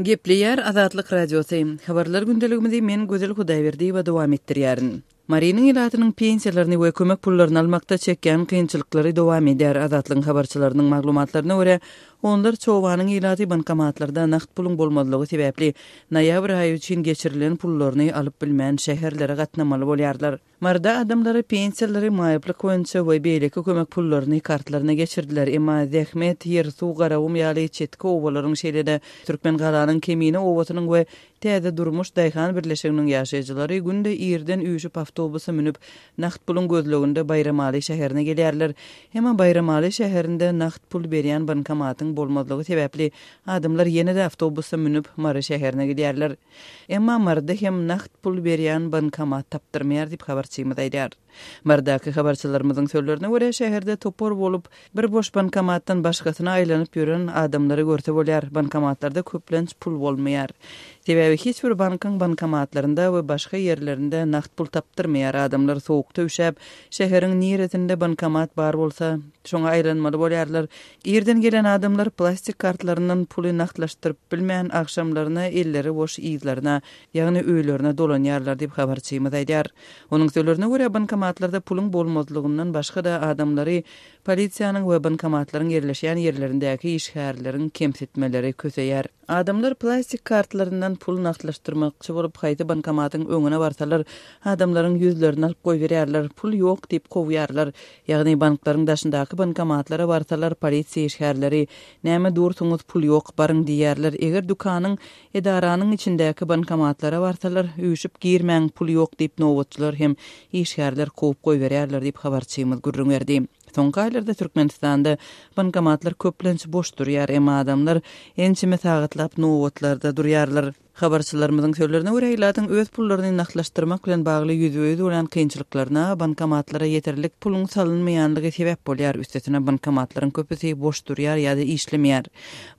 Gepleýär Azatlyk Radiosy. Habarlar gündeligimizi men Gözel Hudaýberdiýewa dowam etdirýärin. Marynyň ilatynyň pensiýalaryny we kömek pullaryny almakda çekýän kynçylyklary dowam edýär. Azatlygyň habarçylarynyň maglumatlaryna görä, onlarça obanyň ilaty bankomatlarda nagt puluň bolmazlygy sebäpli noýabr aýy üçin geçirilen pullaryny alyp bilmän şäherlere gatnamaly bolýarlar. Maryda adamlary pensiýalary, maýyplyk boýunça we beýleki kömek pullaryny kartlaryna geçirdiler. Emma Zähmet, Ýersuw, Garagum ýaly çetki obalaryň, şeýle-de Türkmengalanyň Kemine obasynyň we Täze durmuş daýhan birleşiginiň ýaşaýjylary günde irden üýşüp awtobusa münüp, nagt puluň gözleginde Baýramaly şäherine gelýärler. Emma Baýramaly şäherinde nagt pul berýän bankomatyň bolmazlygy sebäpli, adamlar ýene-de awtobusa münüp, Mary şäherine gidýärler. Emma Maryda hem nagt pul berýän bankomat tapdyrmaýar diýip, habarçymyz aýdýar. Marydaky habarçylarymyzyň sözlerine görä, şäherde topar bolup, bir boş bankomatdan başgasyna aýlanyp ýören adamlary görse bolýar. Bankomatlarda köplenç pul bolmaýar. Sebäbi hiç bir bankyň bankomatlarynda we başga ýerlerinde nagt pul tapdyrmaýar. Adamlar sowukda üşäp, şäheriň niresinde bankomat bar bolsa, şoňa aýlanmaly bolýarlar. Irden gelen adamlar plastik kartlaryndan puly nagtlaşdyryp bilmän, agşamlaryna elleri boş yzlaryna, ýagny öýlerine dolanýarlar diýip, habarçymyz aýdýar. Onuň sözlerine görä, bankomatlarda puluň bolmazlygyndan başga-da adamlary polisiýanyň we bankomatlaryň ýerleşýän ýerlerindäki işgärleriň kemsitmeleri köseýär. Adamlar plastik kartlaryndan pul nagtlaşdyrmakçy bolup, haýsy bankomatyň öňüne barsalar, adamlaryň ýüzlerini alyp goýberýärler, pul ýok diýip kowýarlar. Ýagny banklaryň daşyndaky bankomatlara barsalar, polisiýa işgärleri, Näme dursuňyz, pul ýok, baryň diýýärler. Eger dükanyň, edaranyň içindäki bankomatlara barsalar, üýşüp girmäň, pul ýok diýip nobatçylar hem işgärler kowup goýberýärler diýip, habarçymyz gürrüň berdi. Soňky aýlarda Türkmenistanda bankomatlar köplenç boş durýar, emma adamlar ençeme sagatlap nobatlarda durýarlar. Habarçylarymyzyň sözlerine görä, ilatyň öz pullaryny nagtlaşdyrmak bilen bagly ýüzbe-ýüz bolýan kynçylyklaryna bankomatlara ýeterlik puluň salynmaýanlygy sebäp bolýar, üstesine bankomatlaryň köpüsi boş durýar ýa-da işlemeýär.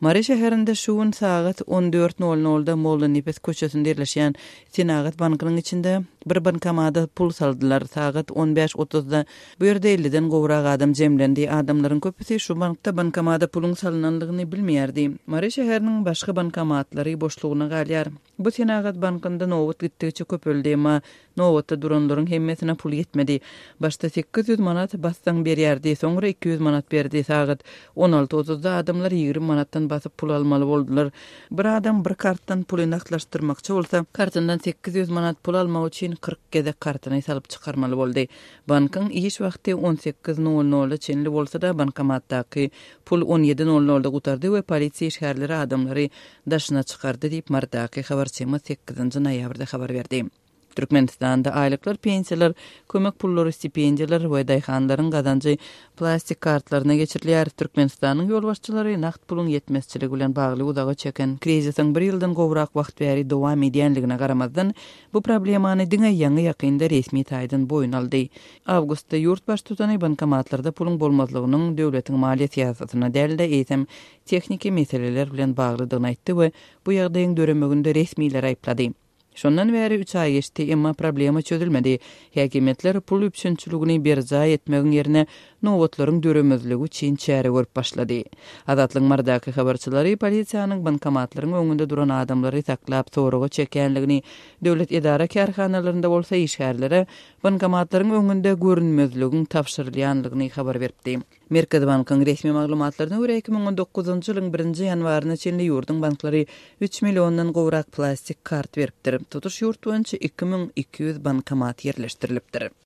Mary şäherinde şu gün sagat on dört nol nolda Mollanepes köçesinde ýerleşýän Senagat bankynyň içinde bir bankomada pul saldylar. Sagat on bäş otuzda bu ýerde elliden gowrak adam jemlendi. Adamlaryň köpüsi şu bankda bankomada puluň salynanlygyny bilmeýärdi. Mary şäheriniň başga bankomatlary boşlugyna galýar. Bu Senagat bankynda nobat gitdigiçe köpeldi, emma nobatda duranlaryň hemmesine pul ýetmedi. Başda 800 manat bassaň berýärdi, soňra 200 manat berdi. Sagat on alty otuzda adamlar 20 manatdan basyp pul almaly boldular. Bir adam bir kartdan puly nagtlaşdyrmakçy bolsa, kartyndan 800 manat pul almak üçin 40 gezek kartyny salyp çykarmaly boldy. Bankyň iş wagty on sekiz nol nola çenli bolsa-da, bankomatdaky pul on ýedi nol nolda gutardy we polisiýa işgärleri adamlary daşyna çykardy diýip, Marydaky habarçymyz sekizinji noýabrda habar berdi. Türkmenistanda aýlyklar, pensiýalar, kömek pullary, stipendiýalar we daýhanlaryň gazanjy plastik kartlaryna geçirilýär. Türkmenistanyň ýolbaşçylary nagt puluň ýetmezçiligi bilen bagly uzaga çeken krizisiň bir ýyldan gowrak wagt bäri dowam edýänligine garamazdan, bu problemany diňe ýaňy-ýakynda resmi taýdan boýun aldy. Awgustda ýurt baştutany bankomatlarda puluň bolmazlygynyň döwletiň maliýe syýasatyna däl-de, eýsem, tehniki meseleler bilen baglydygyny aýtdy we bu ýagdaýyň döremeginde resmileri aýyplady. Şondan bäri üç aý geçdi, emma problema çözülmedi. Häkimiýetler pul üpjünçiligini berjaý etmegiň ýerine nobatlaryň döremezligi üçin çäre görüp başlady. Azatlygyň Marydaky habarçylary polisiýanyň bankomatlaryň öňünde duran adamlary saklap soraga çekýänligini, döwlet edara-kärhanalarynda bolsa işgärlere bankomatlaryň öňünde görünmezligiň tabşyrylýanlygyny habar beripdi. Merkezi bankyň resmi maglumatlaryna görä, 2019-njy ýylyň birinji ýanwaryna çenli ýurduň banklary üç milliondan gowrak plastik kart beripdir. Tutuş ýurt boýunça 2200 bankomat ýerleşdirilipdir.